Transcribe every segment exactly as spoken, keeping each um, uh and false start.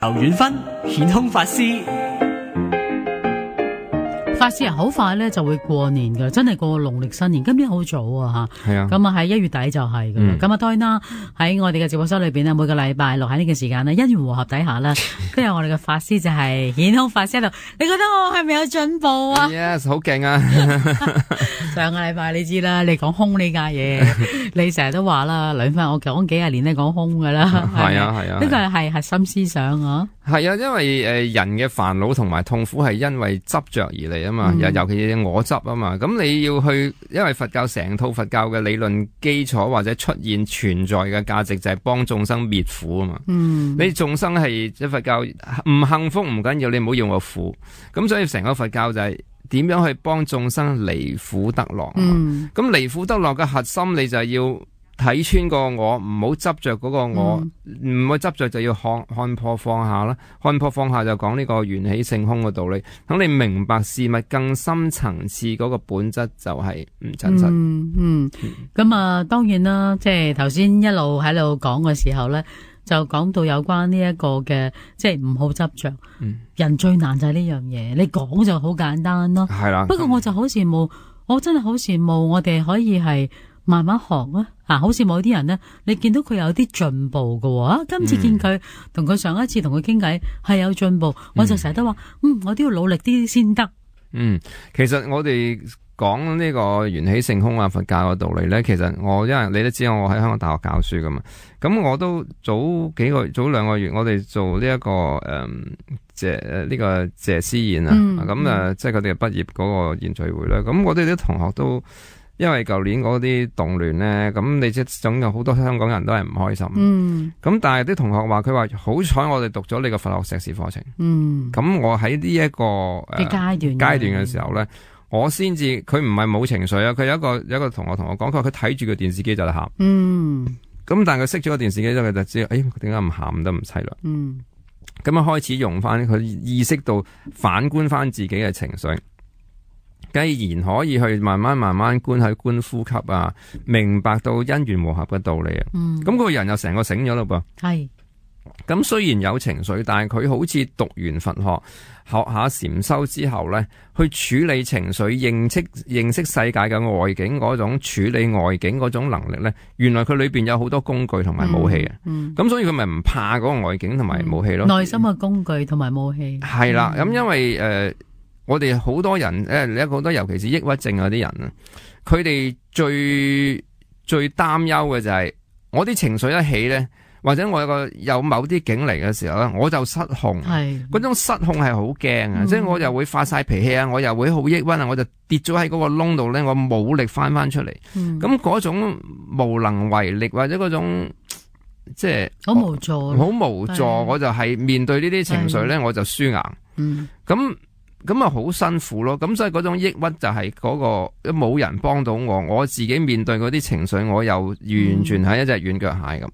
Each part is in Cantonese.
劉遠芬顯空法師。法師啊，好快咧就會過年㗎，真係過農曆新年。今年好早啊吓，係啊，咁啊喺一月底就係噶啦。咁啊當然啦，喺我哋嘅直播室裏邊咧，每個禮拜六喺呢個時間咧，因緣和合底下啦，跟住我哋嘅法師就係顯空法師喺度。你覺得我係咪有進步啊 ？Yes， 好勁啊！上個禮拜你知啦，你講空呢家嘢，你成日都話啦，兩番我講幾廿年都講空噶啦。係啊係啊，呢個係核心思想啊。係啊，因為誒人嘅煩惱同埋痛苦係因為執着而嚟啊嘛，尤、嗯、尤其是我執啊嘛，咁你要去，因為佛教成套佛教嘅理論基礎或者出現存在嘅價值就係幫眾生滅苦啊嘛。嗯，你眾生係即佛教唔幸福唔緊要，你唔好要我苦，咁所以成個佛教就係點樣去幫眾生離苦得樂。嗯，咁離苦得樂嘅核心你就係要睇穿個我，唔好執着嗰個我，唔好執着就要看看破放下啦。看破放下就講呢個緣起性空嘅道理，等你明白事物更深層次嗰個本質就係唔真實。嗯嗯，咁、嗯、啊，當然啦，即係頭先一路喺度講嘅時候咧，就講到有關呢一個嘅，即係唔好執着。嗯，人最難就係呢樣嘢，你講就好簡單咯。係啦，不過我就好羨慕，我真係好羨慕我哋可以係慢慢學啊。啊，好似某啲人呢，你見到佢有啲進步㗎喎，啊，今次見佢同佢上一次同佢傾偈係有進步，嗯，我就成日都話，嗯，我都要努力啲先得。嗯，其實我哋講呢個緣起性空啊，佛教嘅道理咧，其實我因為你都知道我喺香港大學教書噶嘛，咁我都早幾個早兩個月，我哋做呢、這、一個誒謝誒呢個謝師宴啊，咁、嗯、啊即係佢哋畢業嗰個宴聚會咧，咁我哋啲同學都。因為舊年嗰啲動亂咧，咁你即係總有好多香港人都係唔開心。嗯，咁但係啲同學話佢話好彩我哋讀咗呢個佛學碩士課程。嗯，咁我喺呢一個誒階段階段嘅時候咧，我先至佢唔係冇情緒啊，佢有一個有一個同學同我講，佢話佢睇住個電視機就嚟喊。嗯，咁但係佢熄咗個電視機之後，佢就知道，誒點解唔喊得唔淒涼？嗯，咁啊開始用翻佢意識到反觀翻自己嘅情緒。既然可以去慢慢慢慢觀去觀呼吸啊，明白到因緣和合嘅道理啊，嗯，咁個人又成個醒咗咯噃。係，咁雖然有情緒，但係佢好似讀完佛學，學下禪修之後咧，去處理情緒、認識認識世界嘅外境嗰種處理外境嗰種能力咧，原來佢裏邊有好多工具同埋武器啊。嗯，咁、嗯、所以佢咪唔怕嗰個外境同埋武器咯。內心嘅工具同埋武器。係啦，咁、嗯、因為誒。呃我哋好多人誒，你好多尤其是抑鬱症嗰啲人啊，佢哋最最擔憂嘅就係、是、我啲情緒一起咧，或者我有個有某啲境嚟嘅時候咧，我就失控。係嗰種失控係好驚啊！即係我又會發晒脾氣啊，我又會好抑鬱啊，我就跌咗喺嗰個窿度咧，我冇力翻翻出嚟。咁、嗯、嗰種無能為力或者嗰種即係好無助，好無助，我就係面對呢啲情緒咧，我就輸硬。嗯，咁。咁啊，好辛苦咯！咁所以嗰種抑鬱就係嗰個冇人幫到我，我自己面對嗰啲情緒，我又完全係一隻軟腳蟹咁。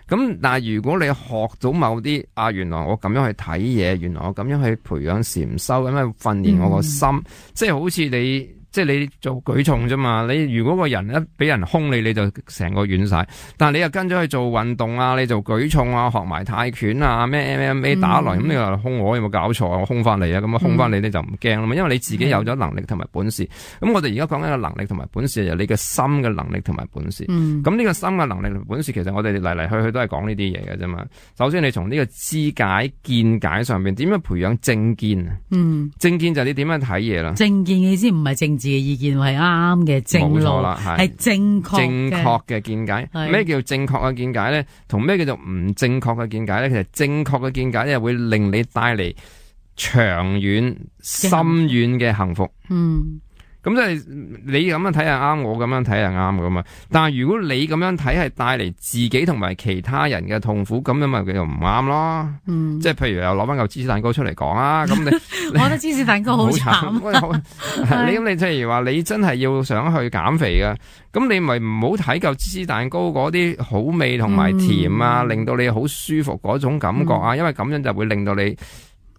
咁、嗯、但係如果你學到某啲啊，原來我咁樣去睇嘢，原來我咁樣去培養禪修，咁樣訓練我個心，嗯、即係好似你。即係你做舉重啫嘛，你如果個人一俾人兇你，你就成個軟晒。但係你又跟咗去做運動啊，你做舉重啊，學埋泰拳啊，咩 M M A 打來，咁、嗯、你話兇我有冇搞錯啊？我兇翻你啊，咁啊兇翻你你就唔驚啦嘛，因為你自己有咗能力同埋本事。咁、嗯、我哋而家講緊嘅能力同埋本事，就係你嘅心嘅能力同埋本事。咁、嗯、呢個心嘅能力同本事，其實我哋嚟嚟去去都係講呢啲嘢嘅啫嘛。首先你從呢個知解見解上邊，點樣培養正見啊？嗯，正見就係你點樣睇嘢啦。正見嘅意思唔係正。自己嘅意見係啱嘅正路，冇錯啦，係正確正確嘅見解。咩叫正確嘅見解咧？同咩叫做唔正確嘅見解咧？其實正確嘅見解咧，會令你帶嚟長遠、深遠嘅幸福。嗯。咁即係你咁樣睇係啱，我咁樣睇係啱噶嘛。但係如果你咁樣睇係帶嚟自己同埋其他人嘅痛苦，咁樣咪叫做唔啱咯。嗯，即係譬如又攞翻嚿芝士蛋糕出嚟講啊。咁你，你我覺得芝士蛋糕好慘。你咁你譬如話你真係要想去減肥嘅，咁你咪唔好睇嚿芝士蛋糕嗰啲好味同埋甜啊、嗯，令到你好舒服嗰種感覺啊、嗯，因為咁樣就會令到你。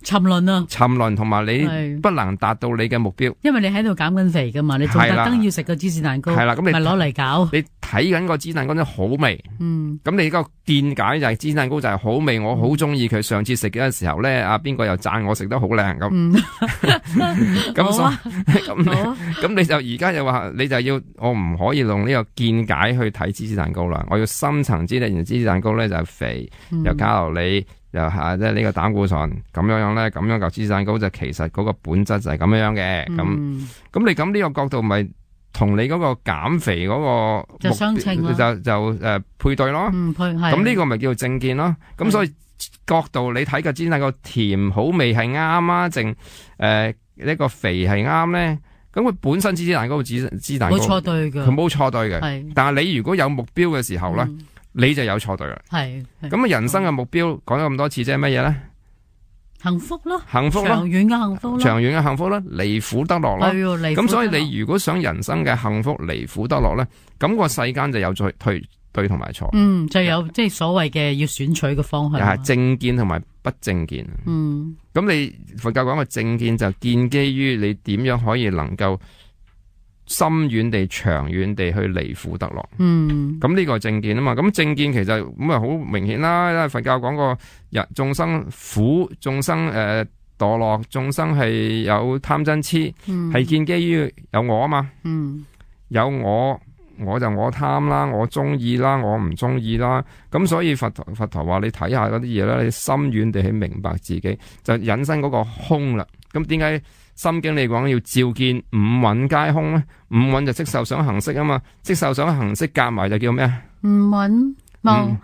沉淪啊，沉淪同埋你不能達到你嘅目標，因為你喺度減緊肥噶嘛，你仲特登要食個芝士蛋糕，係啦，咁你咪攞嚟搞。你睇緊個芝士蛋糕真係好味，嗯，咁你個見解就係芝士蛋糕就係好味，我好中意佢。上次食嘅時候咧，阿邊個又讚我食得好靚咁，咁所咁咁你就而家又話你就要我唔可以用呢個見解去睇芝士蛋糕啦，我要深層知咧，原來芝士蛋糕咧就係肥，又卡路里。又係即係呢個膽固醇咁樣樣咧，咁樣嚿芝士蛋糕就其實嗰個本質就係咁樣樣嘅。咁咁、嗯、你咁呢個角度咪同你嗰個減肥嗰個就相稱咯，就就誒、呃、配對咯。嗯，配係。咁呢個咪叫做正見咯。咁所以角度你睇個芝士蛋糕甜好味係啱啊，淨誒呢個肥係啱咧。咁佢本身芝士蛋糕芝芝士蛋糕冇錯對嘅，佢冇錯對嘅。係。但係你如果有目標嘅時候咧。嗯你就有錯對啦，係咁啊！人生嘅目標講咗咁多次，即係乜嘢咧？幸福咯，幸福咯，長遠嘅幸福咯，長遠嘅幸福咯，離苦得樂咯。係咁所以你如果想人生嘅幸福離苦得樂咧，咁個世間就有對對對同埋錯。嗯，就有即係所謂嘅要選取嘅方向。係正見同埋不正見。嗯，咁你佛教講嘅正見就建基於你點樣可以能夠深遠地、長遠地去離苦得樂。嗯，咁呢個係正見啊嘛。咁正見其實咁啊好明顯啦。因為佛教講過，人眾生苦，眾生誒墮落，眾生係有貪嗔痴，係、嗯、建基於有我啊嘛。嗯，有我，我就我貪啦，我中意啦，我唔中意啦。咁所以佛陀佛陀話你睇下嗰啲嘢啦，你深遠地去明白自己，就引申嗰個空啦。咁點解？心經你講要照見五蘊皆空咧，五蘊就色受想行識啊嘛，色受想行識夾埋就叫咩啊？五蘊冇，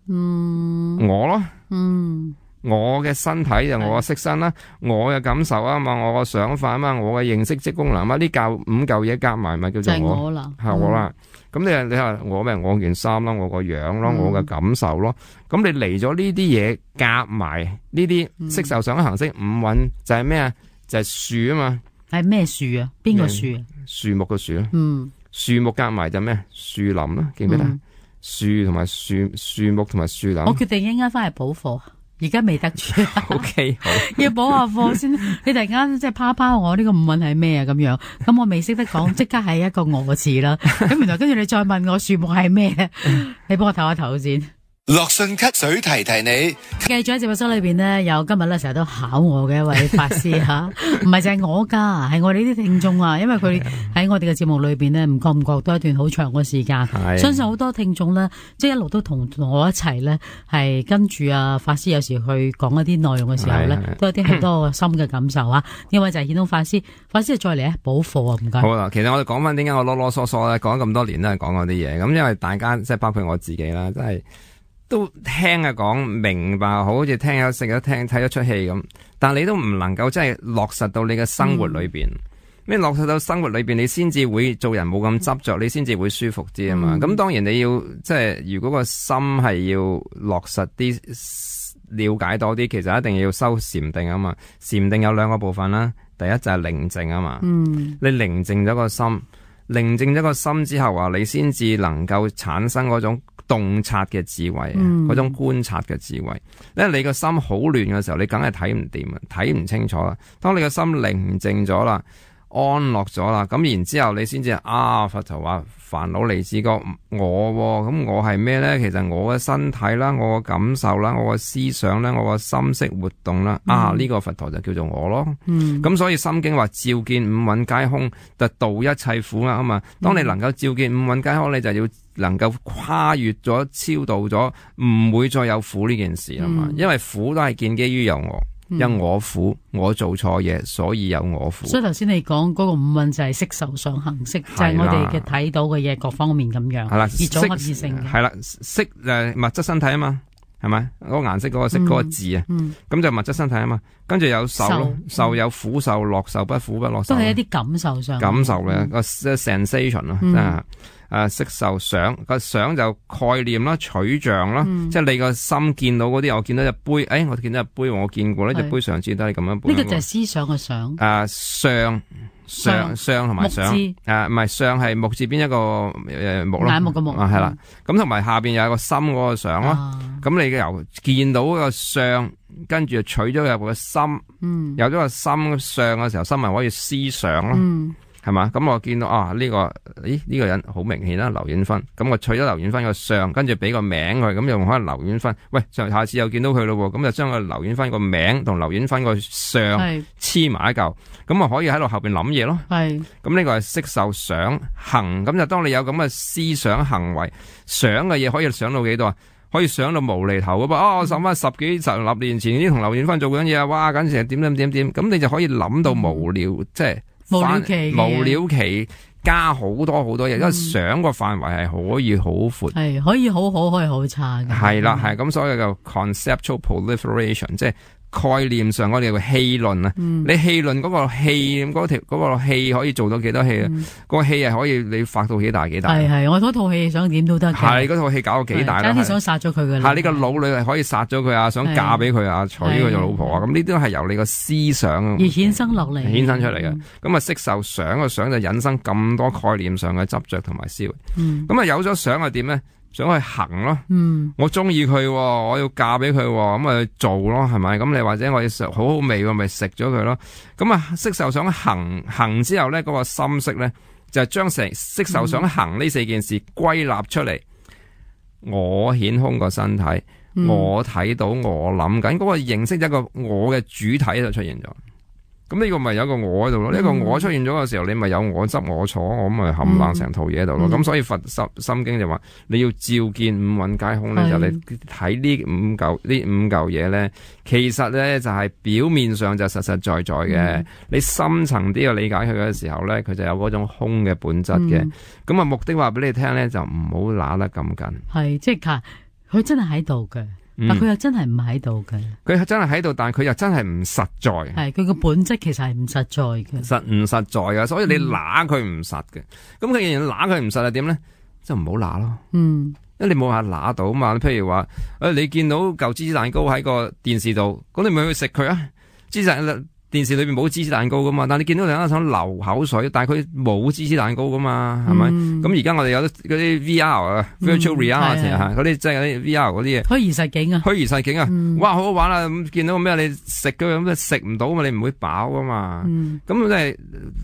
嗯，我咯，嗯，我嘅身體就我嘅色身啦，我嘅感受啊嘛，我嘅想法啊嘛，我嘅認識即功能啊嘛，呢嚿五嚿嘢夾埋咪叫做我，我啦，係我啦。咁你你話我咩？我件衫啦，我個樣咯，我嘅感受咯。咁你嚟咗呢啲嘢夾埋呢啲色受想行識五蘊就係咩啊？就係樹啊嘛，係咩樹啊？邊個樹啊？樹木嘅樹咯。嗯，樹木夾埋就咩？樹林啦，記唔記得？樹同埋樹樹木同埋樹林。我決定一陣間翻嚟補課，而家未得住。O K， 好，要補下課先。你突然間即係拋拋我呢個五蘊係咩啊？咁樣，咁我未識得講，即刻係一個我字啦。咁原來跟住你再問我樹木係咩？你幫我唞下頭先。樂信咳水提提你，繼續喺節目室裏邊呢，有今日咧成日都考我嘅一位法師吓，唔係淨係我噶，係我哋啲聽眾啊，因為佢喺我哋嘅節目裏邊呢，唔覺唔覺都一段好長嘅時間，相信好多聽眾呢，即係一路都同我一齊呢，係跟住啊法師有時去講一啲內容嘅時候呢，都有啲好多深嘅感受啊。呢位就係顯通法師，法師再嚟咧補課啊，唔該。好啦，其實我哋講翻點解我囉囉嗦嗦咧，講咗咁多年都係講嗰啲嘢，咁因為大家即係包括我自己啦，真係。都聽啊講明白，好似聽咗食咗聽睇咗出戲咁，但你都唔能夠真係落實到你嘅生活裏邊。咩、嗯、落實到生活裏邊，你先至會做人冇咁執着，你先至會舒服啲啊嘛。咁、嗯、當然你要即係如果個心係要落實啲，了解多啲，其實一定要修禪定啊嘛。禪定有兩個部分啦，第一就係寧靜啊嘛。嗯，你寧靜咗個心，寧靜咗個心之後啊，你先至能夠產生嗰種洞察嘅智慧，嗰、嗯、種觀察嘅智慧。因為你個心好亂嘅時候，你梗係睇唔掂啊，睇唔清楚啦。當你個心寧靜咗啦，安樂咗啦，咁然之後你先至啊，佛陀話煩惱離自覺我，咁我係咩咧？其實我嘅身體啦，我嘅感受啦，我嘅思想啦，我嘅心識活動啦，嗯、啊呢、這個佛陀就叫做我咯。咁、嗯、所以心經話照見五蘊皆空，就度一切苦厄啊嘛。當你能夠照見五蘊皆空，你就要能夠跨越咗、超度咗，唔會再有苦呢件事啊嘛。嗯、因為苦都係建基於有我。因我苦，我做錯嘢，所以有我苦。所以頭先你講嗰個五蘊就係色受想行識，就係、是、我哋嘅睇到嘅嘢各方面咁樣。係啦，而組合而成嘅。係啦，色誒物質身體啊嘛，係咪？嗰、那個顏色嗰個色嗰、嗯、個字啊，咁、嗯、就物質身體啊嘛。跟住有受咯，受有苦受、樂受、不苦不樂受。都係一啲感受上。感受咧個 sensation 咯，真係。誒，色受想個想就概念啦、取像啦，嗯、即係你個心見到嗰啲，我見到隻杯，誒、哎，我見到隻杯，我見過呢隻杯上次都係咁樣。呢、這個就係思想嘅想。誒，相上上同埋上，誒唔係上係木字邊一個誒木咯，眼目嘅木啊係啦，咁同埋下邊有一個心嗰個上咯，咁、啊、你由見到個上，跟住取咗入個心，嗯、有咗個心上嘅時候，心咪可以思想咯。嗯係嘛？咁我見到啊呢、這個，咦呢、這個人好明顯啦，劉遠芬。咁我取咗劉遠芬個相，跟住俾個名佢，咁又可能劉遠芬。喂，上下次又見到佢咯，咁就將個劉遠芬個名同劉遠芬個相黐埋一嚿，咁啊可以喺度後邊諗嘢咯。係。咁呢個係色受想行，咁就當你有咁嘅思想行為，想嘅嘢可以想到幾多啊？可以想到無厘頭噶噃。哦，我諗翻十幾十六年前啲同劉遠芬做緊嘢啊，哇，簡直係點點點點，咁你就可以諗到無聊，嗯、即係。無了期無了期加好多好多嘢，因為想個範圍係可以好闊，係可以好好，可以好差嘅。係啦，係咁，所以就 conceptual proliferation， 即係概念上我哋個氣論啊。嗯、你氣論嗰個氣嗰條嗰個氣可以做到幾多氣啊？嗯、個氣係可以你發到幾大幾大？係係，我嗰套戲想點都得嘅。係嗰套戲搞到幾大啦？真係想殺咗佢嘅。係你個腦裏係可以殺咗佢啊，想嫁俾佢啊，娶佢做老婆啊，咁呢啲都係由你個思想而衍生落嚟，衍生出嚟嘅。咁啊，色受想個想就引申咁多概念上嘅執着同埋思維。咁啊、嗯，有咗想係點咧？想去行咯，嗯、我中意佢，我要嫁俾佢，咁咪去做咯，係咪？咁你或者我要食好好味，咪食咗佢咯。咁啊，色受想行行之後咧，嗰、那個心識咧就係將成色受想行呢四件事歸納出嚟。嗯、我顯空個身體，嗯、我睇到我諗緊嗰個認識一個我嘅主體就出現咗。咁呢個咪有一個我喺度咯，呢、嗯、個我出現咗嘅時候，你咪有我執我坐，我咪冚唪唥成套嘢喺度咯。咁、嗯、所以佛心心經就話你要照見五蘊皆空咧，是就你睇呢五嚿呢五嚿嘢咧，其實咧就係表面上就實實在在嘅。嗯、你深層啲去理解佢嘅時候咧，佢就有嗰種空嘅本質嘅。咁啊、嗯、目的話俾你聽咧，就唔好揦得咁緊。係即係佢真係喺度嘅。但佢又真係唔喺度嘅，佢係真係喺度，但係佢又真係唔實在。係佢個本質其實係唔實在嘅，實唔實在嘅，所以你揦佢唔實嘅。咁佢既然揦佢唔實係點咧？就唔好揦咯。嗯，因為你冇話揦到嘛。譬如話，誒，你見到嚿芝士蛋糕喺個電視度，咁你咪去食佢啊？芝士電視裏邊冇芝士蛋糕噶嘛，但係你見到另一想流口水，但係佢冇芝士蛋糕噶嘛，係咪？咁而家我哋有嗰啲 V R 啊、嗯、，virtual reality 啊，嗰啲即係嗰啲 V R 嗰啲嘢，虛擬實境啊，虛擬實境啊，嗯、哇，好好玩啊！咁見到咩？你食嘅咁，食唔到嘛？你唔會飽噶嘛？咁即係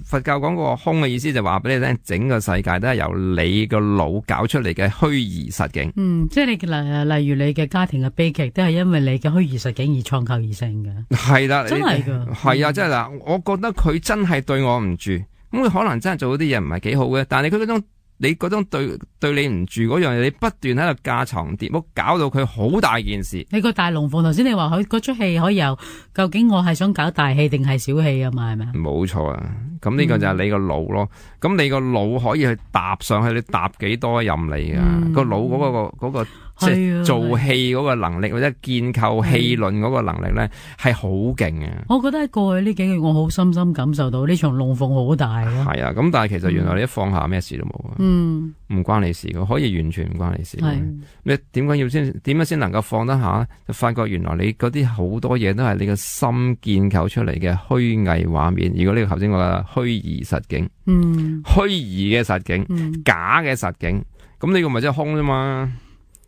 佛教講個空嘅意思，就話俾你聽，整個世界都係由你個腦搞出嚟嘅虛擬實境。嗯，即係你例例如你嘅家庭嘅悲劇，都係因為你嘅虛擬實境而創構而成嘅。係啦，真係噶，係啊，即係嗱，我覺得佢真係對我唔住，咁佢可能真係做嗰啲嘢唔係幾好嘅，但係佢嗰種你嗰種對對你唔住嗰樣嘢，你不斷喺度架床疊屋，搞到佢好大件事。你個大龍鳳頭先你話佢嗰出戲可以由，究竟我係想搞大戲定係小戲啊嘛？係咪啊？冇錯啊，咁呢個就係你個腦咯。咁、嗯、你個腦可以去搭上去，你搭幾多任你噶？嗯、個腦嗰、嗰個嗰個。嗰個即係做戲嗰個能力或者建構戲論嗰個能力咧，係好勁嘅。我覺得喺過去呢幾個月，我好深深感受到呢場龍鳳好大咯。係啊，咁但係其實原來你一放下咩事都冇啊。嗯，唔關你事嘅，可以完全唔關你事。係你點解要先？點樣先能夠放得下？就發覺原來你嗰啲好多嘢都係你個心建構出嚟嘅虛偽畫面。如果呢個頭先我嘅虛擬實境，嗯，虛擬嘅實境，嗯、假嘅實境，咁呢個咪即係空啫嘛。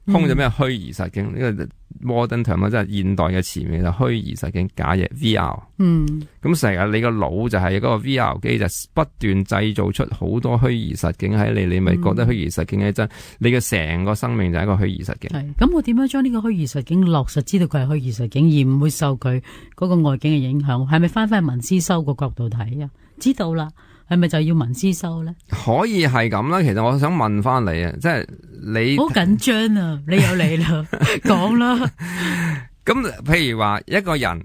空就咩虛擬實境，呢個 modern term 即係現代嘅詞彙，就虛擬實境假嘢 V R。嗯，咁成日你個腦就係嗰個 V R 機，就不斷製造出好多虛擬實境喺你，你咪覺得虛擬實境係真，你嘅成個生命就係一個虛擬實境。係，咁我點樣將呢個虛擬實境落實，知道佢係虛擬實境，而唔會受佢嗰個外境嘅影響？係咪翻翻去文思修個角度睇啊？知道啦。係咪就要文思修咧？可以係咁啦。其實我想問翻你啊，即係你好緊張啊！你有你啦，講啦。咁譬如話一個人，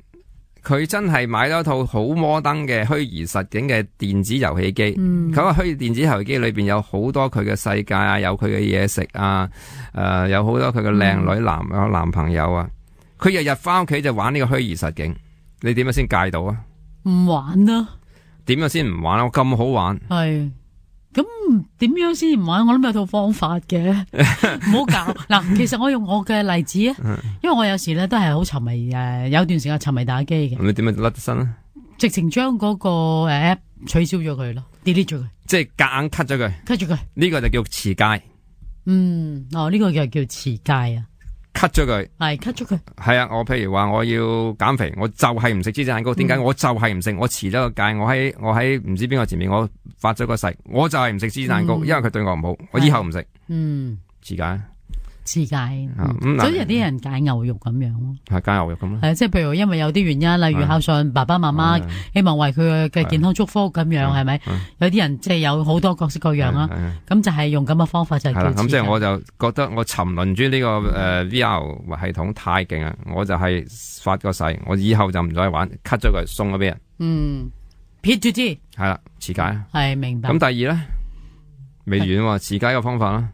佢真係買咗一套好摩登嘅虛擬實境嘅電子遊戲機。佢、嗯、個虛擬電子遊戲機裏邊有好多佢嘅世界啊，有佢嘅嘢食啊，誒、呃，有好多佢嘅靚女男有、嗯、男朋友啊。佢日日翻屋企就玩呢個虛擬實境，你點樣先戒到啊？唔玩啊！點樣先唔玩啊？我咁好玩，係咁點樣先唔玩？我諗有套方法嘅，唔好搞嗱。其實我用我嘅例子啊，因為我有時咧都係好沉迷誒，有段時間沉迷打機嘅。咁你點樣甩得身啊？直情將嗰個誒 app 取消咗佢咯 ，delete 咗佢，即係夾硬 cut 咗佢，cut 咗佢。呢個就叫持戒。嗯，哦，呢、這個就叫持戒啊。cut 咗佢，係 cut 咗佢。係啊，我譬如話我要減肥，我就係唔食芝士蛋糕。點解？我就係唔食，我持咗個戒。我喺我喺唔知邊個前面，我發咗個誓，我就係唔食芝士蛋糕，嗯、因為佢對我唔好，我以後唔食。嗯，持戒。持戒，嗯嗯、所以有啲人戒牛肉咁樣咯，係戒牛肉咁咯，係即係譬如因為有啲原因，例如孝順爸爸媽媽，希望為佢嘅健康祝福咁樣，係咪？有啲人即係有好多各式各樣啦，咁就係用咁嘅方法就係叫持戒。咁即係我就覺得我沉淪於呢個誒 V R 系統太勁啦，我就係發個誓，我以後就唔再玩 ，cut 咗佢，送咗俾人。嗯，撇住支係啦，持戒係明白。咁第二咧未完喎，持戒嘅方法啦。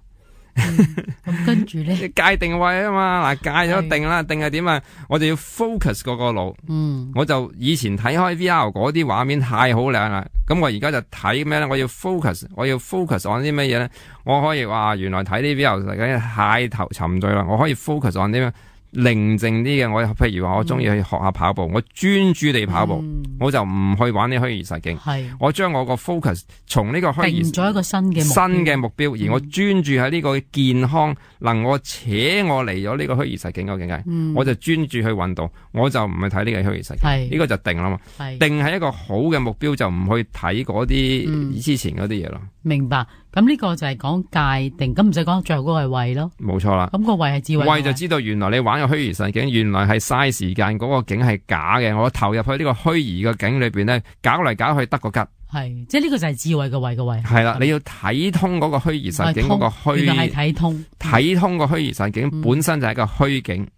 咁、嗯、跟住咧，界定位啊嘛，嗱界咗定啦，定係點啊？我就要 focus 嗰個腦。嗯，我就以前睇開 V R 嗰啲畫面太好靚啦，咁我而家就睇咩咧？我要 focus，我要 focus on 啲乜嘢咧？我可以話原來睇啲 V R 實在太頭沉醉啦，我可以 focus on 啲咩？寧靜啲嘅，我譬如話我中意去學下跑步，嗯、我專注地跑步，嗯、我就唔去玩啲虛擬實境。係，我將我個 focus 從呢個虛擬定咗一個新嘅新嘅目標，嗯、而我專注喺呢個健康能我扯我嚟咗呢個虛擬實境嘅境界，嗯、我就專注去運動，我就唔去睇呢個虛擬實境。係，呢個就定啦嘛。係，定係一個好嘅目標，就唔去睇嗰啲之前嗰啲嘢咯。明白。咁呢個就係講界定，咁唔使講最後嗰個係慧咯。冇錯啦。咁個慧係智慧。慧就知道原來你玩個虛擬實境，原來係嘥時間，嗰個景係假嘅。我投入去呢個虛擬嘅景裏邊咧，搞嚟搞去得個吉。係，即係呢個就係智慧嘅慧嘅慧。係啦，你要睇通嗰個虛擬實境嗰個虛。原來係睇通。睇通個虛擬實境本身就係一個虛境。嗯、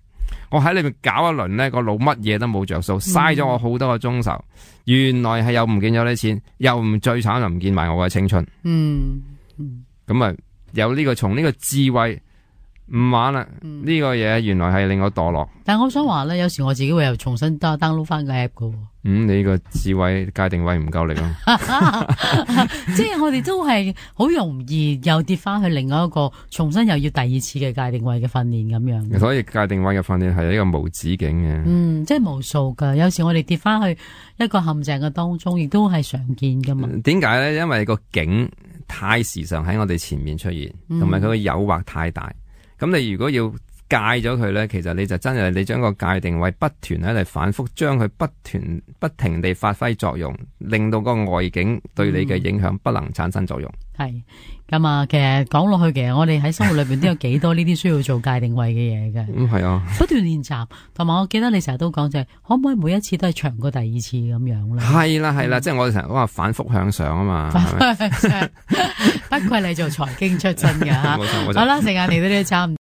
我喺裏面搞一輪咧，個腦乜嘢都冇着數，嘥咗我好多個鐘頭。嗯、原來係又唔見咗啲錢，又唔最慘又唔見埋我嘅青春。嗯。咁啊，有呢、這個從呢個智慧唔玩啦，呢、嗯、個嘢原來係令我墮落。但係我想話咧，有時我自己會又重新 download 翻個 app 噶。嗯，你個智慧界定位唔夠力咯。即係我哋都係好容易又跌翻去另外一個，重新又要第二次嘅界定位嘅訓練咁樣。所以界定位嘅訓練係一個無止境嘅。嗯，即係無數噶。有時我哋跌翻去一個陷阱嘅當中，亦都係常見噶嘛。點解咧？因為個境太時常喺我哋前面出現，同埋佢嘅誘惑太大。咁、嗯、你如果要戒咗佢咧，其實你就真係你將個界定位不斷喺度反覆，將佢不斷不停地發揮作用，令到個外境對你嘅影響不能產生作用。係咁啊，其實講落去，其實我哋喺生活裏邊都有幾多呢啲需要做界定位嘅嘢嘅。嗯，係啊，不斷練習，同埋我記得你成日都講就係，可唔可以每一次都係長過第二次咁樣咧？係啦係啦，即係我哋成日講話反覆向上啊嘛。不愧你做財經出身㗎吓。冇錯冇錯。好啦，時間嚟到呢度差唔多。